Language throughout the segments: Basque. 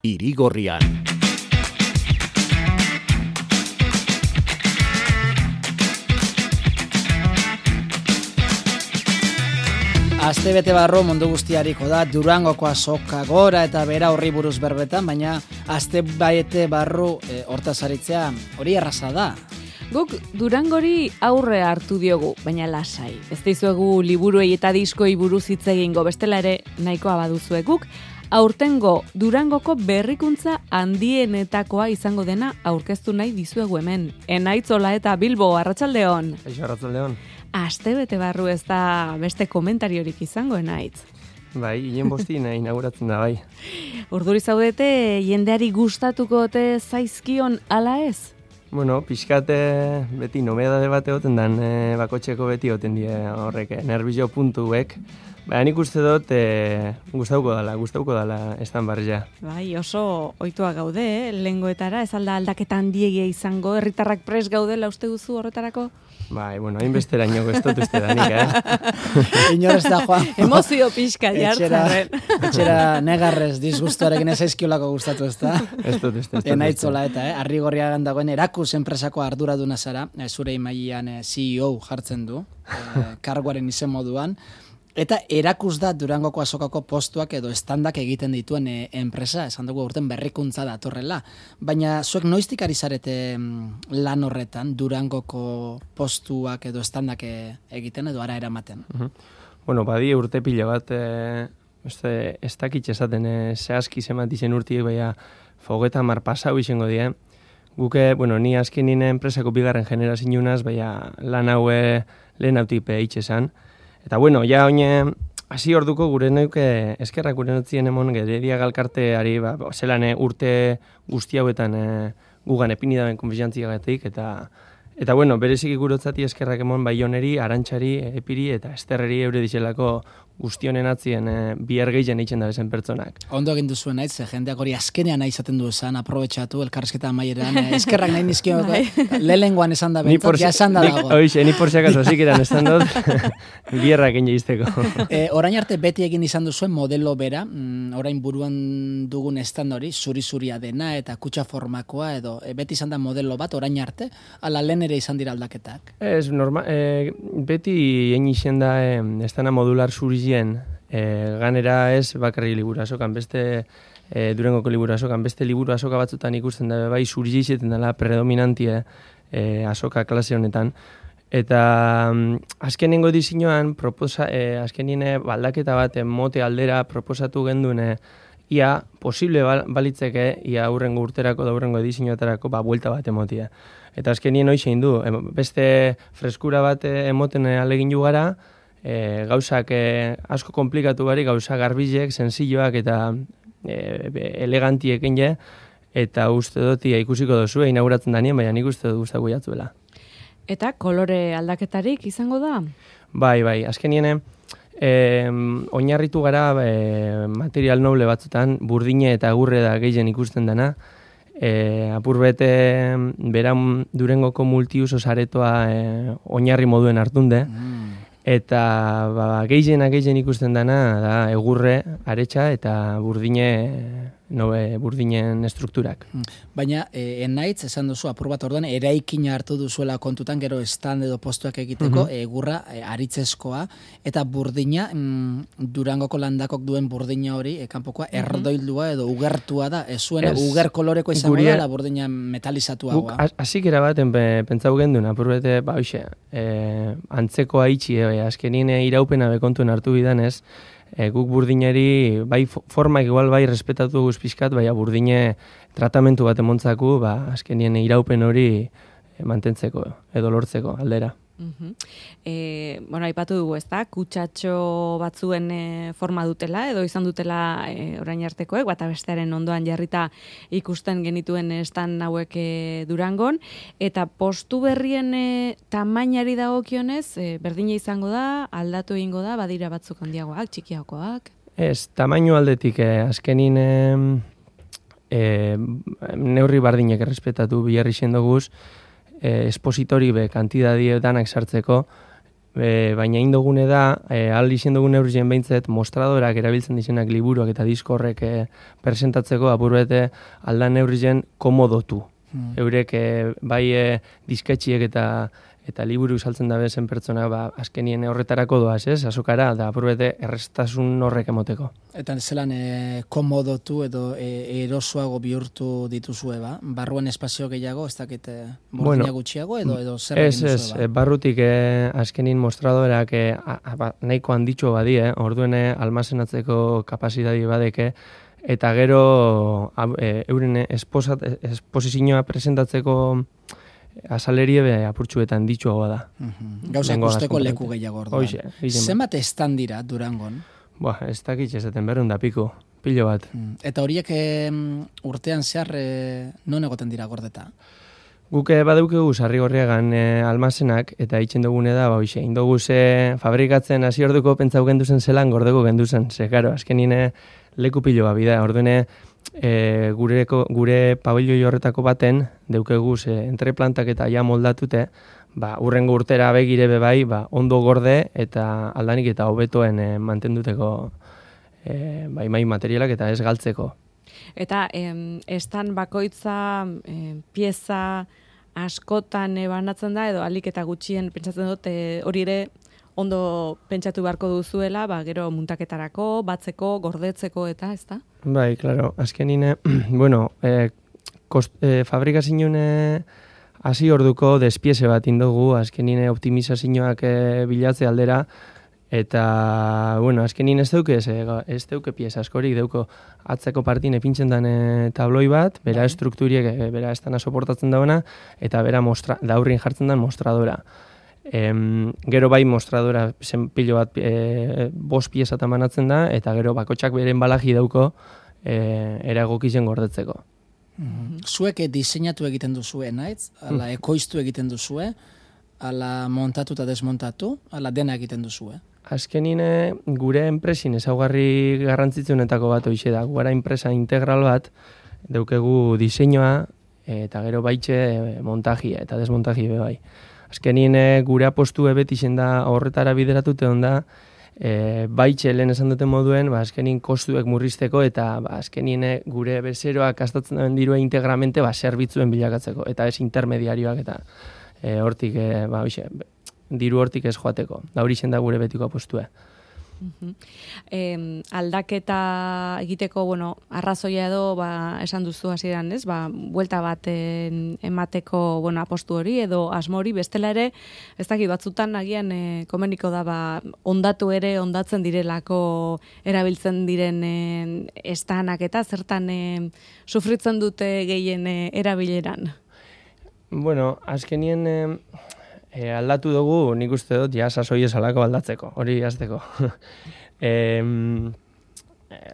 Irigorrian. Astebete barru mundu guztiariko da Durangoko azoka gora eta bera horri buruz berbetan, baina astebete barru hortaz aritzea hori erraza da. Guk Durangori aurre hartu diogu, baina lasai. Ez dizuegu liburuei eta diskoi buruz hitz egingo, bestela ere nahikoa baduzue guk. Aurtengo Durangoko berrikuntza handienetakoa izango dena aurkeztu nahi dizuegu hemen. Enaitzola eta Bilbo, arratsaldeon. Eixo, arratsaldeon. Astebete barru ez da beste komentariorik izango, Enaitz. Bai, hien bostina inauguratzen da, bai. Urduri zaudete, jendeari gustatuko ote zaizkion ala ez? Bueno, pixkate beti nobedade bat egoten dan, bakotxeko beti egoten die horrek, nervio puntuek. Baina nik uste dut gustauko dala estan barria. Bai, oso ohitua gaude, lengoetara, ez alda aldaketa handiegia izango, herritarrak pres gaudela uste duzu horretarako? Bai, bueno, hainbesteraino ez dut uste danik, Inor ez da, Juan. Emozio pixka jartzaren. Etxera negarrez disgustuarekin ez aizkiolako gustatu ez da. Ez dut. Enaitzola eta, Arrigorriagan dagoen Erakus enpresako arduraduna zara, zure imailan CEO jartzen du, karguaren izen moduan. Eta Erakus da Durangoko azokako postuak edo estandak egiten dituen enpresa, esan dugu urten berrikuntza datorrela. Baina zuek noiztik ari zarete lan horretan, Durangoko postuak edo estandak egiten edo ara eramaten? Bueno, badi urte pila bat, ez dakitxe esaten, zehazki zemat izen urtiek, baina fogeta mar pasau izango die. Guke, bueno, ni azken nine enpresako bigarren generazionaz, baina lan haue lehen hautik itxesan. Eta bueno, ja oine, hasi orduko gure neuke eskerrak gure notzien emon Geredia Galkarteari, zelan urte guzti hauetan gugan epini daben konfiantziagatik, eta bueno, bereziki gurotzati eskerrak emon Baioneri, Arantxari, Epiri eta Esterreri eure dizelako guztionen atzien bihar gehien eitzen da bezen pertsonak. Ondo egin duzuen naiz, jendeak hori azkenean nahi izaten du esan, aprobetxatu, elkarrezketa amaieran, eskerrak nahi nizkio, lehengoan esan da bentzat, ja esan da dago. Hoxe, ni por si acaso, zikiran esan dut, biherrak egin izteko. Orain arte beti egin izan duzuen modelo bera, orain buruan dugun stand hori, zuri-zuria dena eta kutsa formakoa edo, beti izan da modelo bat, orain arte, ala lehen ere izan dira aldaketak? Ez, beti egin izan da, estana modular zuri ganera ez bakarri liburu azokan, beste Durangoko liburu azokan, beste liburu azoka batzutan ikusten da, bai zuri izeten dela predominantie azoka klase honetan. Eta azkenengo disinoan, azkenien baldaketa bat mote aldera proposatu genduen ia posible balitzeke, ia aurrengo urterako da aurrengo disinoetarako buelta bat emotia. Eta azkenien hoxe du, beste freskura bat emoten alegin jugara, gauzak asko komplikatu bari, gauza garbilek, senzilloak eta elegantiek enge, eta uste dut ikusiko dozu, inauguratzen danien, baina nik uste dut guztako jatzuela. Eta kolore aldaketarik izango da? Bai, azkenien oinarritu gara material noble batzutan, burdine eta agurre da gehien ikusten dena, apurbete beran Durangoko multiuso saretoa oinarri moduen hartunde, eta gehien ikusten dana da egurre, aretsa eta burdinen estrukturak. Baina Enaitz esan duzu apur bat orduan eraikina hartu duzuela kontutan gero stand edo postuak egiteko egurra aritzezkoa eta burdina Durangoko landakok duen burdina hori kanpokoa erdoildua edo ugertua da, ez zuena uger koloreko izango da burdina metalizatuagoa. Guk hasikera baten pentsau gendun apurbete antzekoa itxi azkenien iraupena bekontuen hartu bidanez, guk burdinari, bai formak igual bai respetatu guzpizkat, bai burdine tratamentu bat emontzaku, azkenien iraupen hori mantentzeko edo lortzeko aldera. Bueno, aipatu dugu, ez da, kutsatxo batzuen forma dutela, edo izan dutela orain artekoek, bata bestearen ondoan jarrita ikusten genituen estan hauek Durangon, eta postu berrien tamainari dagokionez, berdina izango da, aldatu egingo da, badira batzuk handiagoak, txikiagoak? Ez, tamainu aldetik, azkenin neurri bardinek errespetatu biharri xendoguz, espositori be kantidadie danak sartzeko, baina indogune da, ahal izen dugun eurien behintzet, mostradorak erabiltzen dizenak liburuak eta diskorrek presentatzeko apurbete aldan eurien komodotu. Eurek bai disketxiek eta liburu saltzen dabe zen pertsona, azkenien horretarako doaz, azokara, da apurbete errestasun horrek emoteko. Eta zelan komodotu edo erosoago bihurtu dituzue, barruan espazio gehiago, ez dakit bordina gutxiago edo zer egin duzue, barrutik azkenin mostradorak nahiko handitxo badie, orduen almazenatzeko kapazidadi badeke, eta gero euren esposizioa presentatzeko azalerie apurtxuetan ditxoa da. Gauza ikusteko leku gehiago orduan. Zenbat estan dira Durangon? Ez dakit ezaten 200 piko, pilo bat. Eta horiek urtean zehar non egoten dira gordeta? Guk badeukegu Sarrigorriagan almazenak, eta itxen dugune da, indoguz fabrikatzen hasi orduko pentsau genduzen zelan gordeko genduzen. Karo, azkenine leku pilo bat bida, orduene gure pabelloi horretako baten, deukeguz entreplantak eta ja moldatute, urrengo urtera begire bebai, ondo gorde eta aldanik eta hobetoen mantenduteko mai materialak eta ez galtzeko. Eta estan bakoitza pieza askotan banatzen da, edo alik eta gutxien pentsatzen dut hori ere ondo pentsatu beharko duzuela, gero muntaketarako, batzeko, gordetzeko eta, ez da? Bai, klaro, azkenine, fabrikazioen hasi orduko despieze bat indogu, azkenine optimizazioak bilatze aldera, eta, azkenin ez deuke pieza askorik, deuko atzeko partin epintzen den tabloi bat, bera estrukturiek, bera estana soportatzen dauna, eta bera daurrin jartzen den mostradora. Gero bai mostradora pilo bat 5 pieza manatzen da, eta gero bakotxak beren balaji dauko eragokizen gordetzeko. Zuek diseinatu egiten duzue, naitz? Ala ekoiztu egiten duzue? Ala montatu eta desmontatu? Ala dena egiten duzue? Azkenine gure enpresin ezaugarri garrantzitsunetako bat hoize da. Gara enpresa integral bat, daukegu diseinua eta gero baitxe montajia eta desmontajia bai. Azkenien gure apostu beti zen da horretara bideratute onda, baitxe lehen esan duten moduen, azkenien kostuek murrizteko eta azkenien gure bezeroak gastatzen den dirua integramente zerbitzuen bilakatzeko, eta ez intermediarioak eta hortik, diru hortik ez joateko. Da hori zen da gure betiko apostue. Aldaketa egiteko, arrazoia edo, esan duzu hasieran, ez? Buelta bat emateko, apostu hori edo asmo hori, bestela ere, ez dakit batzutan agian komeniko da, ondatzen direlako erabiltzen diren estanak eta zertan sufritzen dute gehien erabileran? Azkenien aldatu dugu, nik uste dut, sasoi esalako aldatzeko, hori azteko.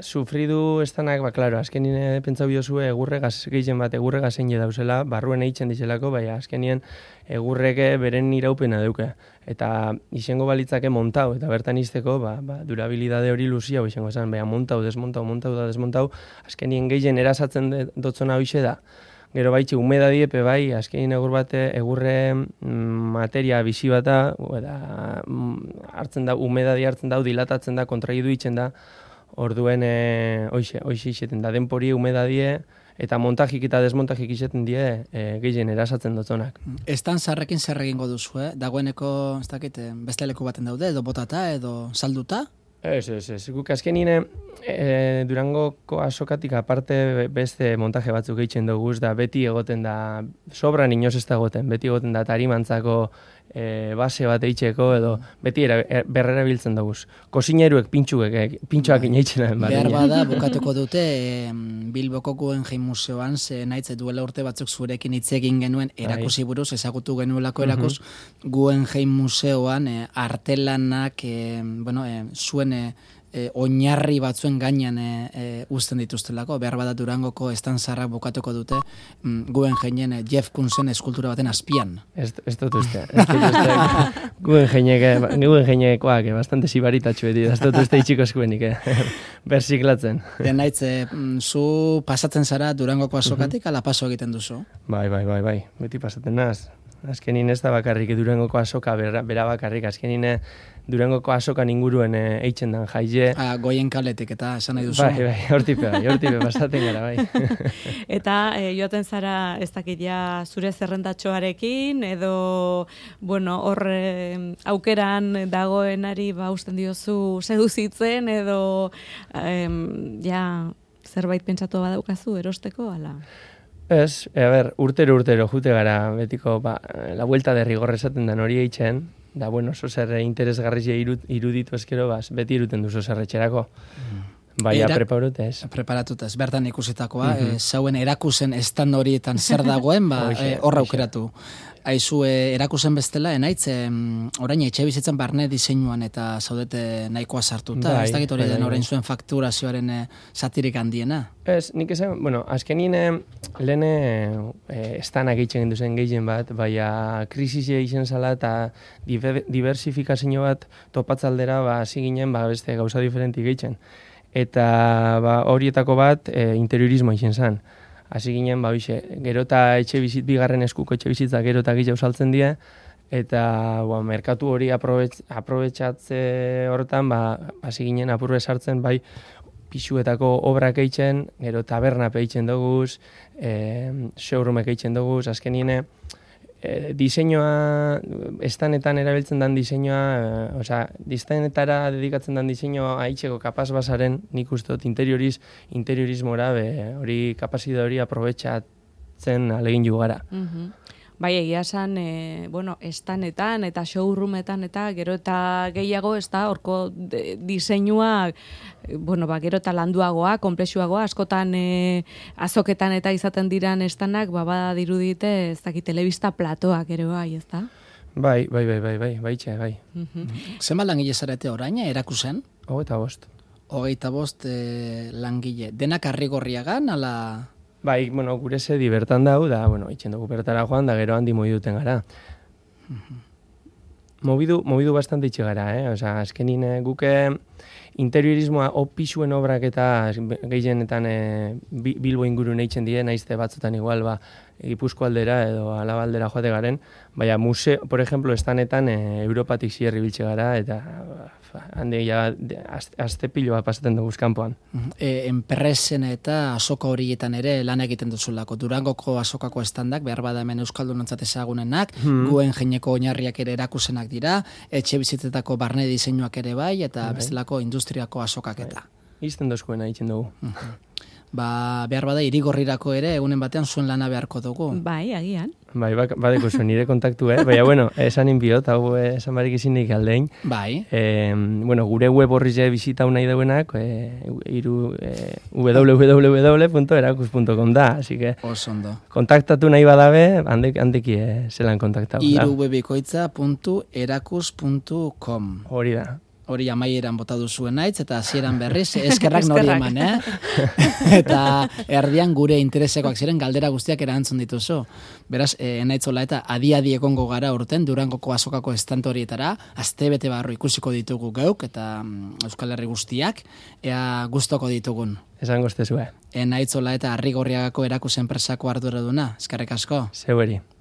Sufridu estanak, klaro, azkenien pentsau biozue egurregaz gehien bat egurregaz zein dauzela, barruen eitzen dizelako, azkenien egurreke beren iraupena duke. Eta izango balitzake montau, eta bertan izteko, durabilidade hori luzia, izango esan, montau, desmontau, azkenien gehien erasatzen dotzona hoxe da. Gero baitxe, humedadie, azkenin egurre materia bizi bata, hartzen da, humedadi hartzen da, dilatatzen da, kontraidu itzen da, orduen, hoxe izeten da, denpori humedadie, eta montajik eta desmontajik izeten die, gehien erasatzen dutzonak. Estan zarrekin zer egingo duzu, dagoeneko, ez dakit, beste leku baten daude, edo botata, edo salduta? Ez. Guk azkenine Durangoko azokatik aparte beste montaje batzuk egiten dugu, da beti egoten da, sobran inoz ez da egoten, beti egoten da tarimantzako base bat eitzeko edo beti berrera biltzen dugu. Kosineruek pintxoak inaitzen. Behar bada, bukatuko dute Bilboko Guggenheim Museoan, ze naitze duela urte batzuk zurekin hitz egin genuen erakusi buruz, ezagutu genuelako erakus, Guggenheim Museoan artelanak, zuen oinarri batzuen gainean uzten dituztelako, behar bada Durangoko estantzarrak bukatuko dute Guggenheimien Jeff Koonsen eskultura baten azpian. Ez dut uste. Guggenheimekoak bastante sibaritatxu beti, ez dut uste itxiko eskuenik, berziklatzen. Naitze, zu pasatzen zara Durangoko azokatik, ala paso egiten duzu? Bai, beti pasatzen naz. Azkenin ez da bakarrik Durangoko azoka bera bakarrik, azkenin Durangoko azokan inguruen eitzen dan jaie. Goien kaletik eta esan nahi duzu. Bai, hortipe pasaten gara, bai. Eta joaten zara ez dakit ja zure zerrendatxoarekin edo bueno, hor aukeran dagoenari usten diozu seduzitzen edo ja zerbait pentsatu badaukazu erosteko ala. Ez, urtero jute gara betiko la vuelta de rigor esaten dan hori eitzen, da bueno, oso zer interesgarria iruditu eskero beti iruten duzu zerretxerako. Baina preparatutez, bertan ikusitakoa, zauen erakusen estan horietan zer dagoen, horra aukeratu. Aizu, erakusen bestela, enaitz, orain etxe bizitzen barne diseinuan eta zaudete nahikoa sartuta, ez dakit hori den orain zuen fakturazioaren satirik handiena? Ez, nik esan, bueno, azkenien lehen estanak egiten zen gehien bat, baina krisisia izan zala eta diversifikazio bat topatzaldera, hasi ginen, beste gauza diferenti egiten. Eta horietako bat interiorismo izan zen. Hasi ginen, gero eta bigarren eskuko etxe bizitza gero eta gehiago saltzen dira, eta merkatu hori aprobetxatze horretan, hasi ginen apurbe sartzen, pixuetako obrak eitzen, gero taberna peitzen doguz, showroomek eitzen doguz, azkenien diseinua, estanetan erabiltzen dan diseinua, distanetara dedikatzen dan diseinua aitzeko kapaz basaren, nik uste dut interiorismora, hori kapazide hori aprobetxatzen alegin jugara. Bai, egia esan, estanetan eta showroometan eta gero eta gehiago, ez da, horko diseinua, gero eta landuagoa, komplexuagoa, askotan azoketan eta izaten diran estanak, badirudite, ez dakit, telebista platoak ere bai, ez da? Bai. Zenba langile zarete orain, erakusen? 25 langile. Denak Arrigorriagan, ala... Bai, gure zedi bertan dau, da, itxen dugu bertara joan, da gero handi moviduten gara. Movidu bastante itxe gara, azkenin guke interiorismoa pisuen obrak eta gehienetan Bilbo ingurun eitzen die, naizte batzutan igual, Gipuzko aldera edo Alaba aldera joate garen, baina museo, por ejemplo, estanetan Europatik zierri biltxe gara, eta handi azte pilo bat pasaten dugu kanpoan. Enpresen eta azoka horietan ere lan egiten duzulako. Durangoko azokako estandak, behar bada hemen euskaldunontzat ezagunenak, guen jeineko oinarriak ere erakusenak dira, etxe bizitzetako barne diseinuak ere bai, eta bestelako industriako azokak eta. Izten dozkoena egiten dugu. Behar bada irigorrirako ere egunen batean zuen lana beharko dugu. Bai, agian. Bai, badeko zuen nire kontaktu, baina, esan inbiot, hau esan barik izinik aldein. Bai. Gure web horri bizita nahi dauenak, www.erakus.com da, así que kontaktatu nahi badabe, handeki zelan kontaktatu. irubebikoitza.erakus.com Hori da. Hori amaieran bota duzuen naitz, eta hasieran berriz, eskerrak nori eman, Eta erdian gure interesekoak ziren galdera guztiak erantzun dituzu. Beraz, naitzola eta adi egongo gara urten, Durangoko azokako estantorietara, astebete barro ikusiko ditugu geuk, eta Euskal Herri guztiak, ea gustoko ditugun. Esan goztezue. Naitzola eta Arrigorriagako erakus enpresako arduraduna, eskerrik asko. Zeueri.